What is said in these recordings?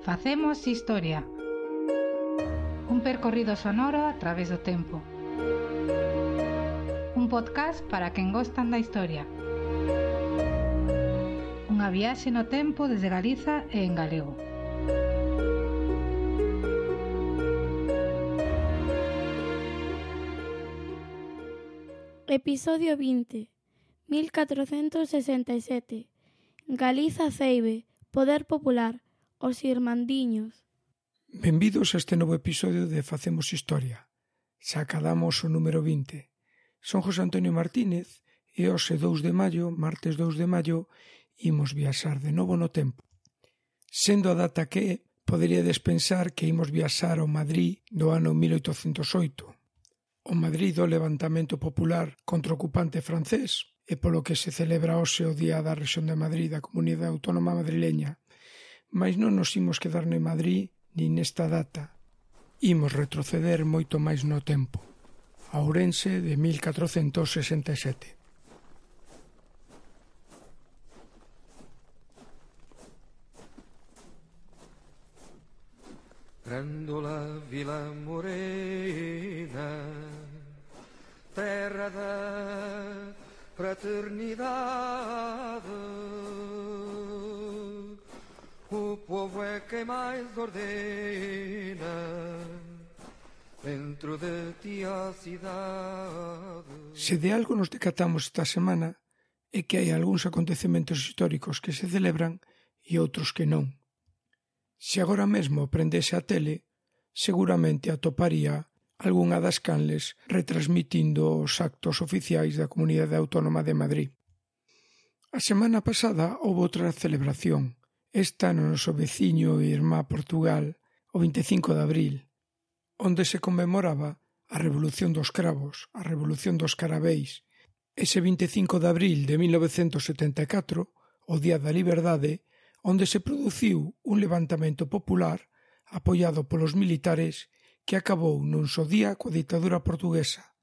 Facemos historia. Un percorrido sonoro a través do tempo. Un podcast para quen gostan da historia. Unha viaxe no tempo desde Galiza e en galego. Episodio 20. 1467. Galiza Ceibe. Poder popular. Os Irmandiños. Benvidos a este novo episodio de Facemos Historia. Xa acadamos o número 20. Son José Antonio Martínez e hoxe 2 de maio, martes 2 de maio, imos viaxar de novo no tempo. Sendo a data que poderíades pensar que imos viaxar ao Madrid do ano 1808, o Madrid do levantamento popular contra o ocupante francés, e polo que se celebra hoxe o Día da Rexión de Madrid da Comunidade Autónoma Madrileña. Mais non nos imos quedar en Madrid nin nesta data. Imos retroceder moito máis no tempo. A Ourense de 1467. Grândola Vila Morena, terra da fraternidade, o povo é quem mais ordena dentro de ti a cidade. Se de algo nos decatamos esta semana é que hai algúns acontecementos históricos que se celebran e outros que non. Se agora mesmo prendese a tele, seguramente atoparía algunha das canles retransmitindo os actos oficiais da Comunidade Autónoma de Madrid. A semana pasada houve outra celebración, esta no noso veciño e irmá Portugal, o 25 de abril, onde se conmemoraba a Revolución dos Cravos, a Revolución dos Carabeis. Ese 25 de abril de 1974, o Día da Liberdade, onde se produciu un levantamento popular apoiado polos militares que acabou nun só día coa ditadura portuguesa,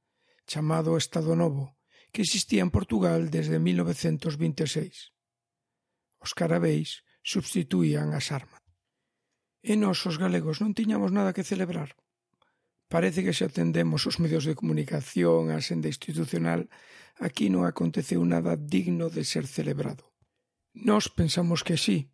chamado Estado Novo, que existía en Portugal desde 1926. Os carabeis substituían as armas. E nós, os galegos, non tiñamos nada que celebrar. Parece que se atendemos os medios de comunicación, a senda institucional, aquí non aconteceu nada digno de ser celebrado. Nós pensamos que sí,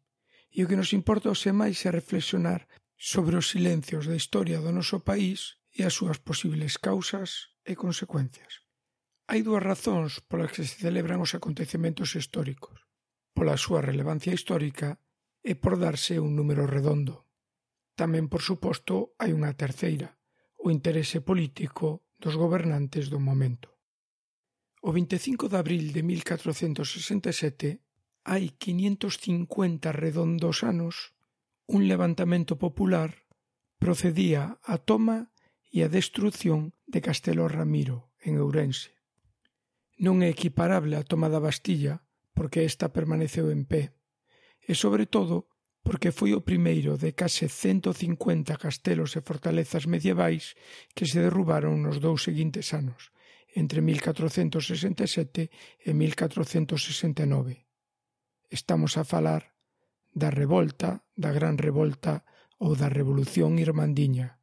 e o que nos importa hoxe máis é reflexionar sobre os silencios da historia do noso país e as súas posibles causas e consecuencias. Hai dúas razóns polas que se celebran os acontecementos históricos: pola súa relevancia histórica e por darse un número redondo. Tamén, por suposto, hai unha terceira: o interese político dos gobernantes do momento. O 25 de abril de 1467, hai 550 redondos anos, un levantamento popular procedía á toma e a destrución de Castelo Ramiro, en Ourense. Non é equiparable á toma da Bastilla, porque esta permaneceu en pé, e sobre todo porque foi o primeiro de case 150 castelos e fortalezas medievais que se derrubaron nos 2 seguintes anos, entre 1467 e 1469. Estamos a falar da revolta, da Gran Revolta ou da Revolución Irmandiña.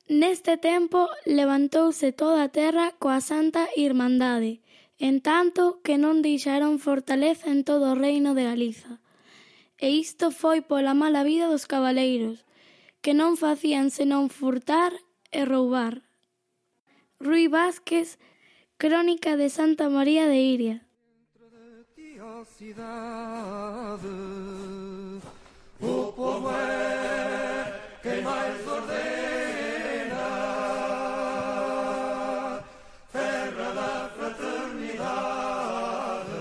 Neste tempo levantouse toda a terra coa Santa Irmandade, en tanto que non deixaron fortaleza en todo o reino de Galiza. E isto foi pola mala vida dos cabaleiros, que non facían senón furtar e roubar. Rui Vázquez, Crónica de Santa María de Iria. Dentro de ti a cidade, o povo é quem mais ordena, terra da fraternidade,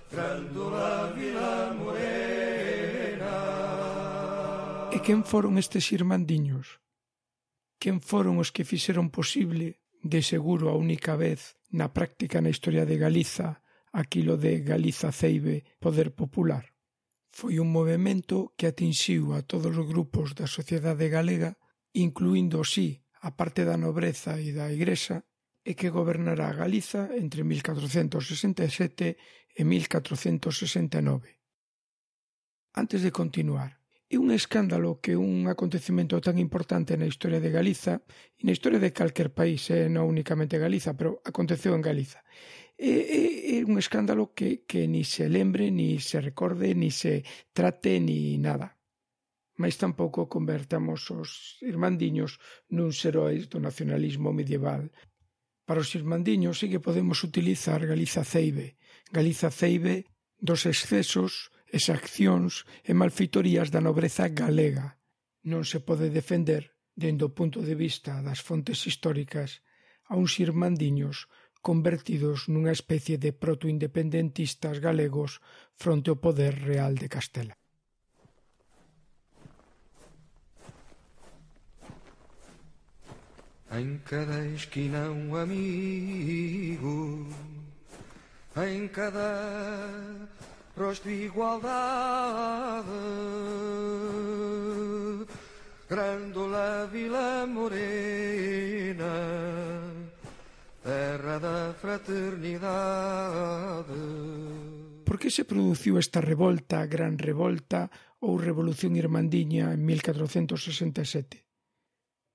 Grândola Vila Morena. E quen foron estes irmandiños? Quen foron os que fixeron posible, de seguro a única vez na práctica na historia de Galiza, aquilo de Galiza Ceibe, poder popular? Foi un movemento que atinxiu a todos os grupos da sociedade galega, incluindo, sí, a parte da nobreza e da Igrexa, e que gobernará Galiza entre 1467 e 1469. Antes de continuar, É un escándalo que un acontecemento tan importante na historia de Galiza e na historia de calquer país, non únicamente Galiza, pero aconteceu en Galiza. É un escándalo que ni se lembre, ni se recorde, ni se trate, ni nada. Mais tampouco convertamos os irmandiños nuns heróis do nacionalismo medieval. Para os irmandiños sí que podemos utilizar Galiza ceibe dos excesos, exaccións e malfeitorías da nobreza galega. Non se pode defender, dende o punto de vista das fontes históricas, a uns irmandiños convertidos nunha especie de protoindependentistas galegos fronte ao poder real de Castela. Em cada esquina um amigo, em cada rosto igualdade, Grândola Vila Morena, terra da fraternidade. Por que se produciu esta revolta, gran revolta ou revolución irmandiña en 1467?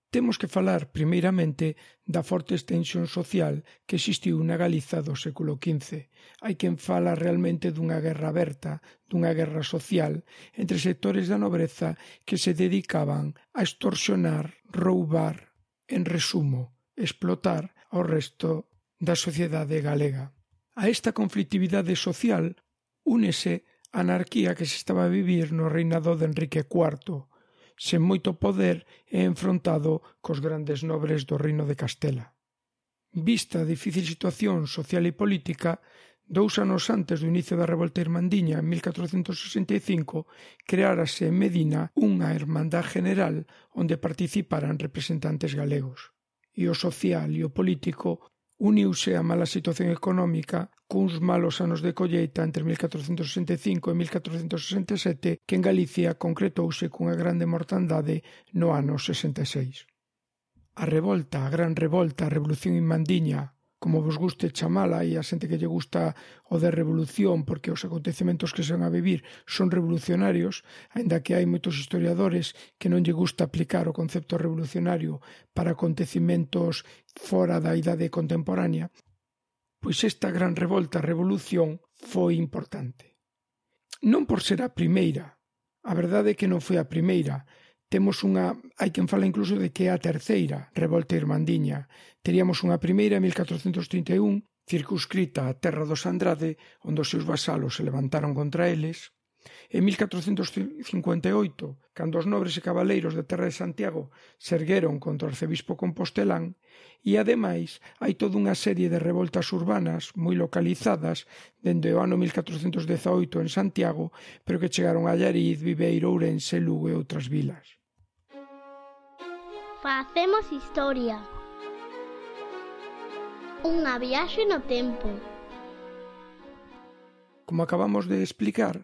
Temos que falar, primeiramente, da forte extensión social que existiu na Galiza do século XV. Hai quen fala realmente dunha guerra aberta, dunha guerra social, entre sectores da nobreza que se dedicaban a extorsionar, roubar, en resumo, explotar ao resto da sociedade galega. A esta conflictividade social únese a anarquía que se estaba a vivir no reinado de Enrique IV, sen moito poder e enfrontado cos grandes nobres do reino de Castela. Vista a difícil situación social e política, 2 anos antes do inicio da revolta irmandiña, en 1465, creárase en Medina unha Hermandad General onde participaran representantes galegos. E o social e o político uniuse a mala situación económica cuns malos anos de colleita entre 1465 e 1467 que en Galicia concretouse cunha grande mortandade no ano 66. A revolta, a gran revolta, a revolución irmandiña, como vos guste chamala, e a xente que lle gusta o de revolución porque os acontecementos que se van a vivir son revolucionarios, aínda que hai moitos historiadores que non lle gusta aplicar o concepto revolucionario para acontecementos fora da idade contemporánea, pois esta gran revolta, revolución, foi importante. Non por ser a primeira, a verdade é que non foi a primeira. Hai quen fala incluso de que é a terceira revolta irmandiña. Teríamos unha primeira en 1431, circunscrita á terra dos Andrade, onde os seus vasalos se levantaron contra eles. En 1458, cando os nobres e cabaleiros da terra de Santiago se ergueron contra o arcebispo compostelán, e ademais hai toda unha serie de revoltas urbanas moi localizadas dende o ano 1418 en Santiago, pero que chegaron a Allariz, Viveiro, Ourense, Lugo e outras vilas. Facemos historia. Unha viaxe no tempo. Como acabamos de explicar,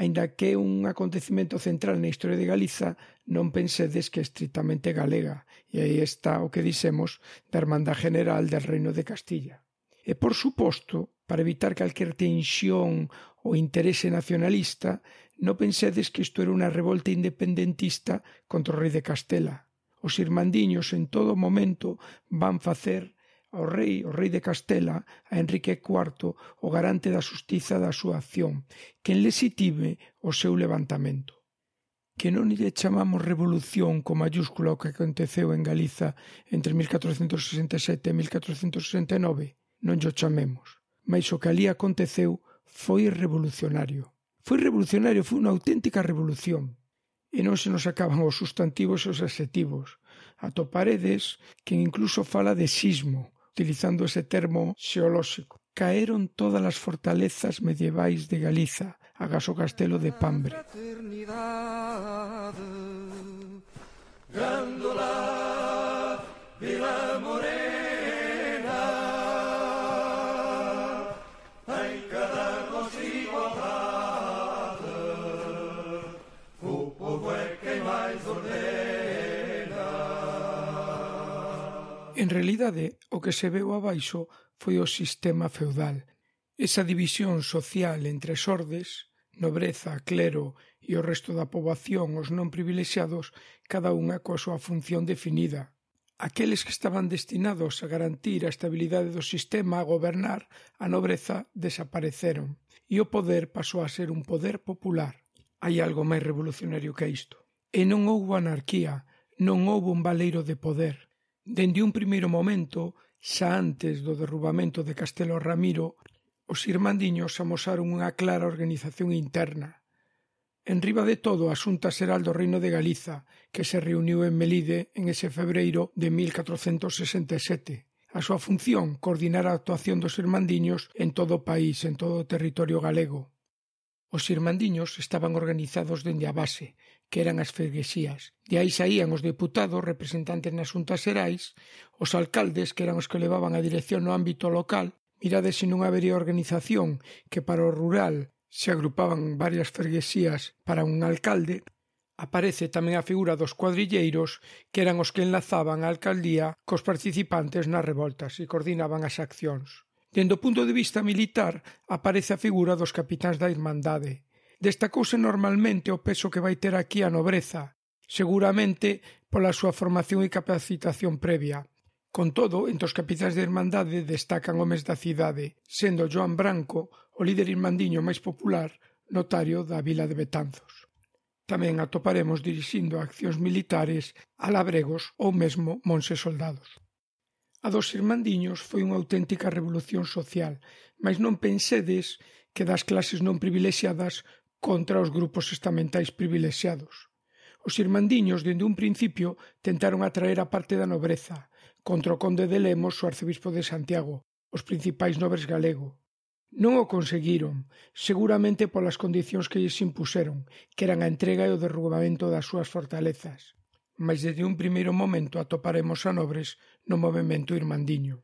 aínda que é un acontecemento central na historia de Galiza, non pensedes que é estritamente galega, e aí está o que dixemos da Hermandad General del Reino de Castilla. E, por suposto, para evitar calquer tensión ou interese nacionalista, non pensedes que isto era unha revolta independentista contra o rei de Castela. Os irmandiños en todo momento van facer ao rei, o rei de Castela, a Enrique IV, o garante da xustiza da súa acción, quen lexitime o seu levantamento. Que non lle chamamos revolución con mayúscula o que aconteceu en Galiza entre 1467 e 1469, non lle chamemos, mas o que ali aconteceu foi revolucionario. Foi revolucionario, foi unha auténtica revolución. E non se nos acaban os sustantivos e os adxetivos. Atoparedes quen incluso fala de sismo, utilizando ese termo xeolóxico. Caeron todas as fortalezas medievais de Galiza, agás o castelo de Pambre. Grândola Vila Morena, em cada rosto igualdade, o povo é quem mais ordena. En realidade, o que se veu abaixo foi o sistema feudal. Esa división social entre sordes, Nobreza, clero e o resto da poboación, os non privilexiados, cada unha coa súa función definida. Aqueles que estaban destinados a garantir a estabilidade do sistema, a gobernar, a nobreza, desapareceron e o poder pasou a ser un poder popular. Hai algo máis revolucionario que isto. E non houbo anarquía, non houbo un baleiro de poder. Dende un primeiro momento, xa antes do derrubamento de Castelo Ramiro, os irmandiños amosaron unha clara organización interna. Enriba de todo, a Xunta Xeral do Reino de Galiza, que se reuniu en Melide en ese febreiro de 1467. A súa función, coordinar a actuación dos irmandiños en todo o país, en todo o territorio galego. Os irmandiños estaban organizados dende a base, que eran as freguesías. De aí saían os deputados, representantes nas xuntas xerais, os alcaldes, que eran os que levaban a dirección no ámbito local. Mirade se non habería organización que para o rural se agrupaban varias freguesías para un alcalde. Aparece tamén a figura dos cuadrilleiros, que eran os que enlazaban a alcaldía cos participantes nas revoltas e coordinaban as accións. Dende o punto de vista militar, aparece a figura dos capitáns da Irmandade. Destacouse normalmente o peso que vai ter aquí a nobreza, seguramente pola súa formación e capacitación previa. Con todo, entre os capitáns da Irmandade destacan homes da cidade, sendo Joan Branco o líder irmandiño máis popular, notario da vila de Betanzos. Tamén atoparemos dirixindo accións militares a labregos ou mesmo monses soldados. A dos irmandiños foi unha auténtica revolución social, mas non pensedes que das clases non privilexiadas contra os grupos estamentais privilexiados. Os irmandiños, dende un principio, tentaron atraer a parte da nobreza, contra o conde de Lemos, o arcebispo de Santiago, os principais nobres galego. Non o conseguiron, seguramente polas condicións que lles impuseron, que eran a entrega e o derrubamento das súas fortalezas. Mas desde un primeiro momento atoparemos a nobres no movemento irmandiño.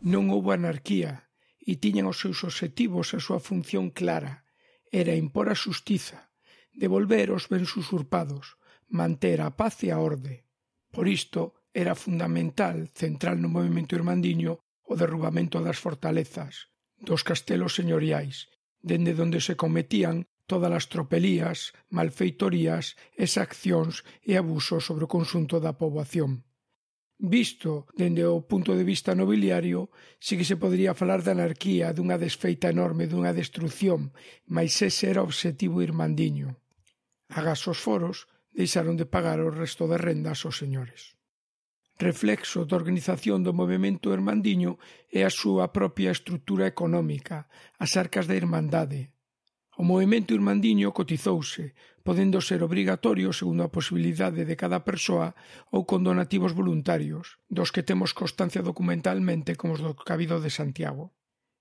Non houbo anarquía e tiñan os seus obxectivos a súa función clara. Era impor a xustiza, devolver os bens usurpados, manter a paz e a orde. Por isto, era fundamental, central no movemento irmandiño, o derrubamento das fortalezas, dos castelos señoriais, dende onde se cometían todas as tropelías, malfeitorías, exaccións e abusos sobre o conxunto da poboación. Visto dende o punto de vista nobiliario, si que se podería falar de anarquía, dunha desfeita enorme, dunha destrucción, mas ese era o obxectivo irmandiño. Agás os foros deixaron de pagar o resto de rendas aos señores. Reflexo da organización do movemento irmandiño é a súa propia estrutura económica, as arcas da Irmandade. O movemento irmandiño cotizouse, podendo ser obrigatorio segundo a posibilidade de cada persoa ou con donativos voluntarios, dos que temos constancia documentalmente como os do Cabido de Santiago.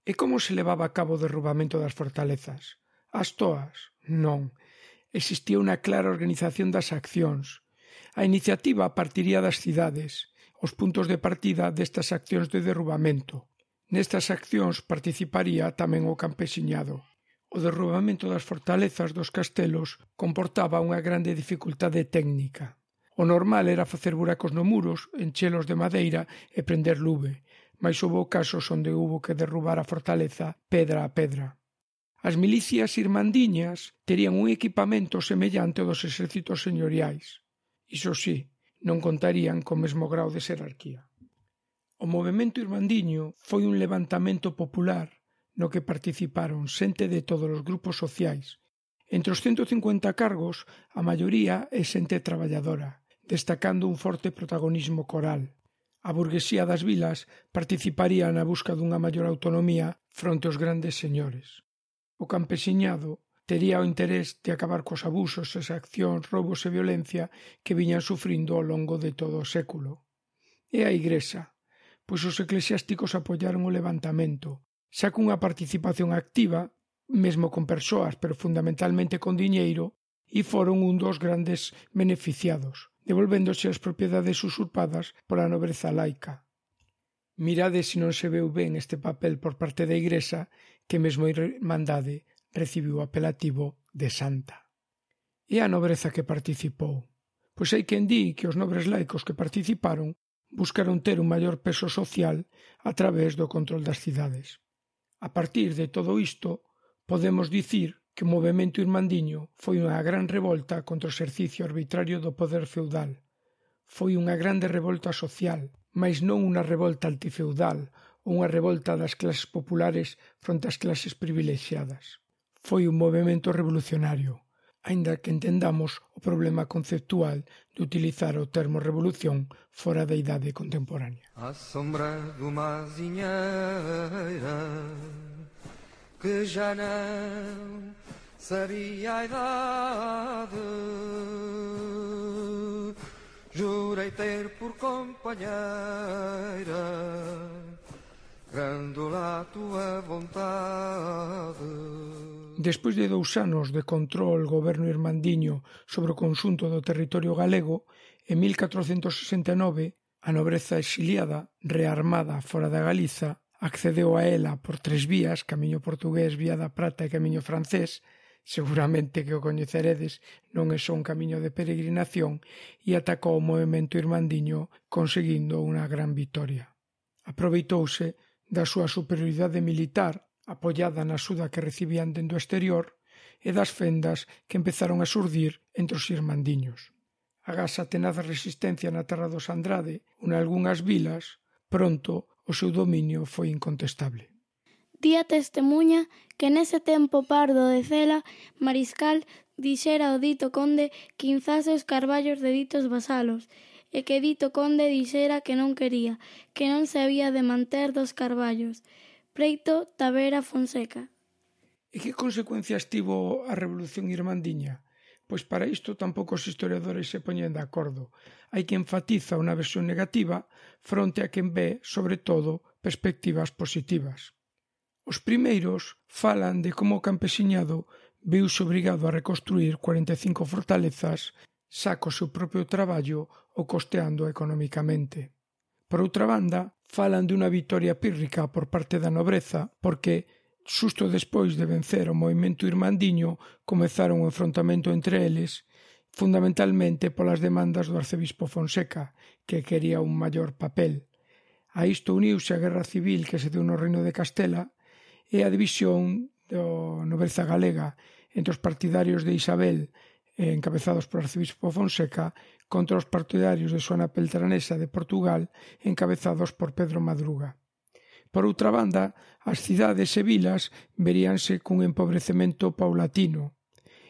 E como se levaba a cabo o derrubamento das fortalezas? As toas? Non. Existía unha clara organización das accións. A iniciativa partiría das cidades, os puntos de partida destas accións de derrubamento. Nestas accións participaría tamén o campesiñado. O derrubamento das fortalezas dos castelos comportaba unha grande dificultade técnica. O normal era facer buracos no muros, enchelos de madeira e prender luve, mas houbo casos onde houbo que derrubar a fortaleza pedra a pedra. As milicias irmandiñas terían un equipamento semellante ao dos exércitos señoriais. Iso sí, non contarían co mesmo grau de xerarquía. O movemento irmandiño foi un levantamento popular no que participaron xente de todos os grupos sociais. Entre os 150 cargos, a maioría é xente traballadora, destacando un forte protagonismo coral. A burguesía das vilas participaría na busca dunha maior autonomía fronte aos grandes señores. O campesiñado tería o interés de acabar cos abusos, exaccións, roubos e violencia que viñan sufrindo ao longo de todo o século. E a Igrexa, pois os eclesiásticos apoiaron o levantamento, xa cunha participación activa, mesmo con persoas, pero fundamentalmente con diñeiro, e foron un dos grandes beneficiados, devolvéndose as propiedades usurpadas pola nobreza laica. Mirade se non se veu ben este papel por parte da Igrexa, que mesmo a Irmandade recibiu o apelativo de santa. E a nobreza que participou? Pois hai quen di que os nobres laicos que participaron buscaron ter un maior peso social a través do control das cidades. A partir de todo isto, podemos dicir que o movemento irmandiño foi unha gran revolta contra o exercicio arbitrario do poder feudal. Foi unha grande revolta social, mais non unha revolta antifeudal ou unha revolta das clases populares fronte ás clases privilexiadas. Foi un movemento revolucionario, aínda que entendamos o problema conceptual de utilizar o termo revolución fora da idade contemporánea. À sombra de uma azinheira que já não sabia a idade, jurei ter por companheira grândola a tua vontade. Despois de 2 anos de control goberno irmandiño sobre o conxunto do territorio galego, en 1469, a nobreza exiliada, rearmada fora da Galiza, accedeu a ela por 3 vías, camiño portugués, vía da Prata e camiño francés, seguramente que o coñeceredes, non é só un camiño de peregrinación, e atacou o movemento irmandiño conseguindo unha gran vitoria. Aproveitouse da súa superioridade militar, apoiada na axuda que recibían dende o exterior, e das fendas que empezaron a xurdir entre os irmandiños. Agás a tenaz resistencia na terra dos Andrade, ou nalgunhas vilas, pronto o seu dominio foi incontestable. Día testemuña que nese tempo pardo de Cela, Mariscal dixera ao dito conde que inzase os carballos de ditos vasalos, e que dito conde dixera que non quería, que non se había de manter dos carballos. Preito Tavera Fonseca. E que consecuencias tivo a Revolución Irmandiña? Pois para isto tampouco os historiadores se poñen de acordo. Hai que enfatiza unha versión negativa fronte a quen ve, sobre todo, perspectivas positivas. Os primeiros falan de como o campesiñado viuse obrigado a reconstruir 45 fortalezas xa co seu propio traballo ou costeando economicamente. Por outra banda, falan de unha vitoria pírrica por parte da nobreza porque, xusto despois de vencer o movemento irmandiño, comezaron o enfrontamento entre eles, fundamentalmente polas demandas do arcebispo Fonseca, que quería un maior papel. A isto uniuse a guerra civil que se deu no Reino de Castela e a división da nobreza galega entre os partidarios de Isabel, encabezados por arcebispo Fonseca, contra os partidarios de Xoana Peltranesa de Portugal, encabezados por Pedro Madruga. Por outra banda, as cidades e vilas veríanse cun empobrecemento paulatino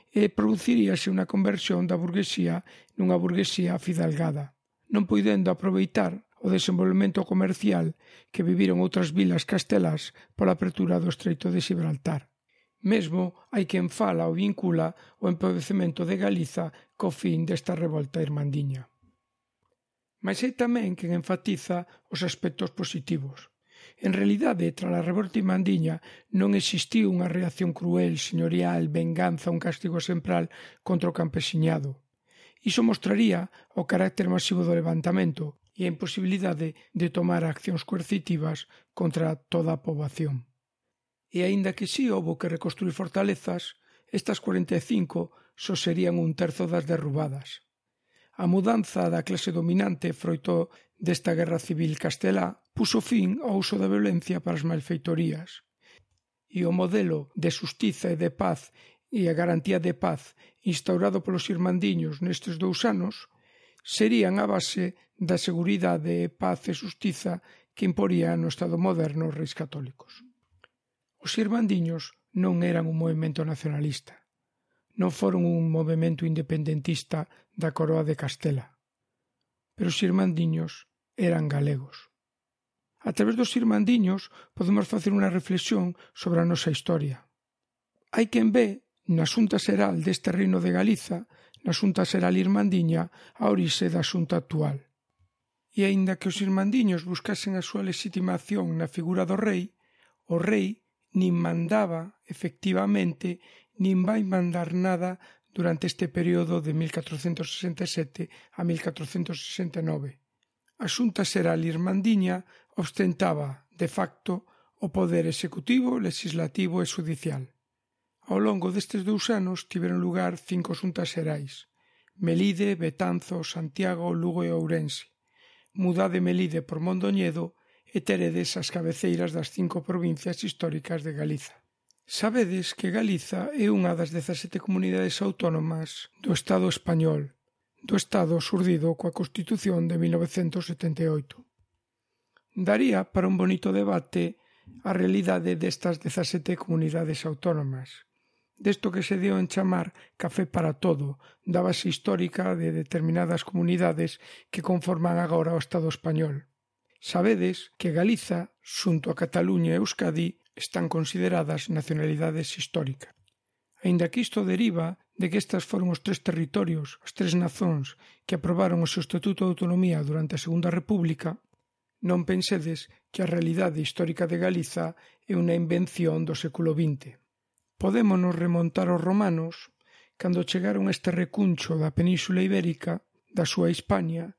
e produciríase unha conversión da burguesía nunha burguesía afidalgada, non poidendo aproveitar o desenvolvemento comercial que viviron outras vilas castelás pola apertura do Estreito de Xibraltar. Mesmo hai quen fala ou vincula o empobrecemento de Galiza co fin desta revolta irmandiña. Mas hai tamén quen enfatiza os aspectos positivos. En realidade, tras a revolta irmandiña non existiu unha reacción cruel, señorial, venganza, un castigo exemplar contra o campesiñado. Iso mostraría o carácter masivo do levantamento e a imposibilidade de tomar accións coercitivas contra toda a poboación. E aínda que si houbo que reconstruir fortalezas, estas 45 só serían 1/3 das derrubadas. A mudanza da clase dominante froito desta guerra civil castelá puxo fin ao uso da violencia para as malfeitorías, e o modelo de xustiza e de paz e a garantía de paz instaurado polos irmandiños nestes 2 anos serían a base da seguridade, paz e xustiza que imporía no Estado moderno os reis católicos. Os irmandiños non eran un movemento nacionalista, non foron un movemento independentista da coroa de Castela, pero os irmandiños eran galegos. A través dos irmandiños podemos facer unha reflexión sobre a nosa historia. Hai quen ve na Xunta Xeral deste Reino de Galiza, na Xunta Xeral irmandiña, a orixe da Xunta actual. E aínda que os irmandiños buscasen a súa legitimación na figura do rei, o rei nin mandaba, efectivamente, nin vai mandar nada durante este período de 1467 a 1469. A Xunta Xeral irmandiña ostentaba, de facto, o poder executivo, legislativo e xudicial. Ao longo destes 2 anos tiveron lugar 5 xuntas xerais: Melide, Betanzos, Santiago, Lugo e Ourense. mudade Melide por Mondoñedo e teredes as cabeceiras das 5 provincias históricas de Galiza. Sabedes que Galiza é unha das 17 comunidades autónomas do Estado español, do Estado xurdido coa Constitución de 1978. Daría para un bonito debate a realidade destas 17 comunidades autónomas, desto que se deu en chamar café para todo, da base histórica de determinadas comunidades que conforman agora o Estado español. Sabedes que Galiza, xunto a Cataluña e Euskadi, están consideradas nacionalidades históricas. Aínda que isto deriva de que estas foron os 3 territorios, as 3 nazóns que aprobaron o seu Estatuto de Autonomía durante a Segunda República, non pensedes que a realidade histórica de Galiza é unha invención do século XX. Podémonos remontar aos romanos, cando chegaron a este recuncho da Península Ibérica, da súa Hispania,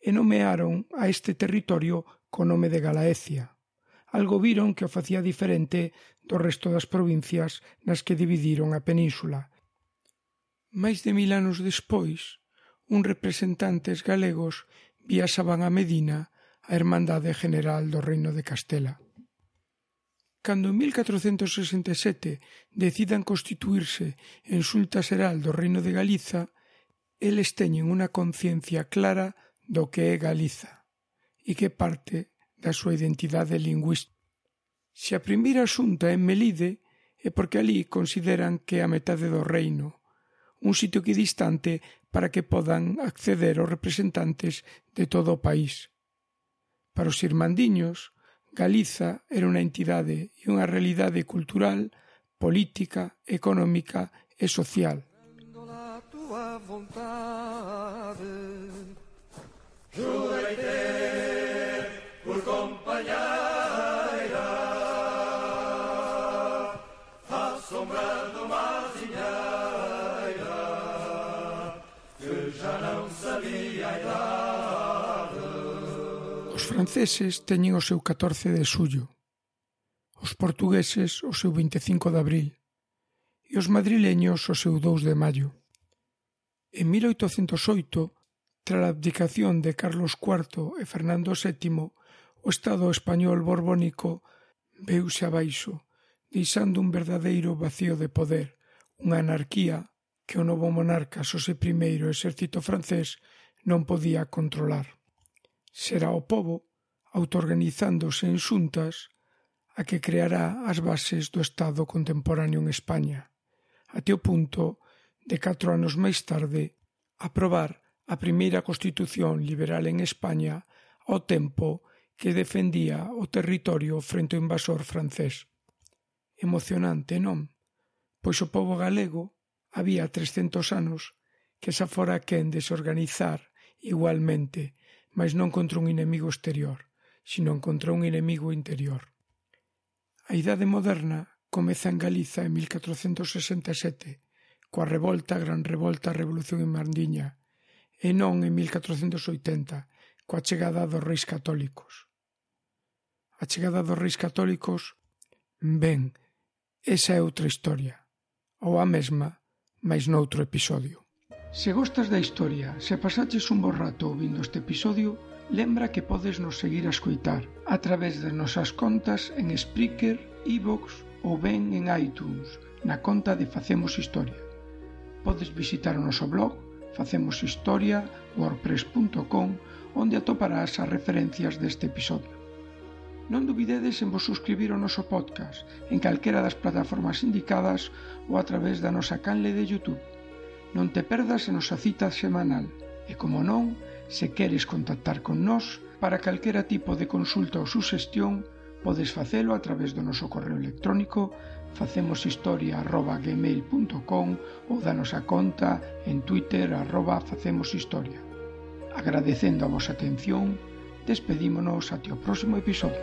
e nomearon a este territorio co nome de Galaecia. Algo viron que o facía diferente do resto das provincias nas que dividiron a península. Máis de 1000 anos despois, uns representantes galegos viaxaban a Medina, a Hermandade General do Reino de Castela. Cando en 1467 decidan constituirse en Xunta Xeral do Reino de Galiza, eles teñen unha conciencia clara do que é Galiza e que parte da súa identidade lingüística. Se a primeira xunta é en Melide é porque alí consideran que é a metade do reino, un sitio equidistante para que podan acceder os representantes de todo o país. Para os irmandiños, Galiza era unha entidade e unha realidade cultural, política, económica e social. Jurei ter por companheira a sombra do mazinheira que já não sabia a idade. Os franceses teñen o seu 14 de xullo, os portugueses o seu 25 de abril e os madrileños o seu 2 de maio. En 1808, tras a abdicación de Carlos IV e Fernando VII, o Estado español borbónico veuse abaixo, deixando un verdadeiro vacío de poder, unha anarquía que o novo monarca Xosé I e o exército francés non podía controlar. Será o pobo, autoorganizándose en xuntas, a que creará as bases do Estado contemporáneo en España, até o punto de 4 anos máis tarde aprobar a primeira Constitución liberal en España ao tempo que defendía o territorio frente ao invasor francés. Emocionante, non? Pois o pobo galego había 300 anos que xa fora quen de se organizar igualmente, mas non contra un inimigo exterior, sino contra un inimigo interior. A Idade Moderna comeza en Galiza en 1467, coa Gran Revolta a Revolución Irmandiña, e non en 1480, coa chegada dos Reis Católicos. A chegada dos Reis Católicos, ben, esa é outra historia, ou a mesma, mais noutro episodio. Se gostas da historia, se pasaches un bo rato ouvindo este episodio, lembra que podes nos seguir a escoitar a través das nosas contas en Spreaker, iVoox ou ben en iTunes, na conta de Facemos Historia. Podes visitar o noso blog facemoshistoria.wordpress.com, onde atoparás as referencias deste episodio. Non dubidedes en vos suscribir ao noso podcast en calquera das plataformas indicadas ou a través da nosa canle de YouTube. Non te perdas a nosa cita semanal e, como non, se queres contactar con nós para calquera tipo de consulta ou suxestión, podes facelo a través do noso correo electrónico facemoshistoria@gmail.com ou da nosa conta en Twitter @facemoshistoria. Agradecendo a vosa atención, despedímonos até o próximo episodio.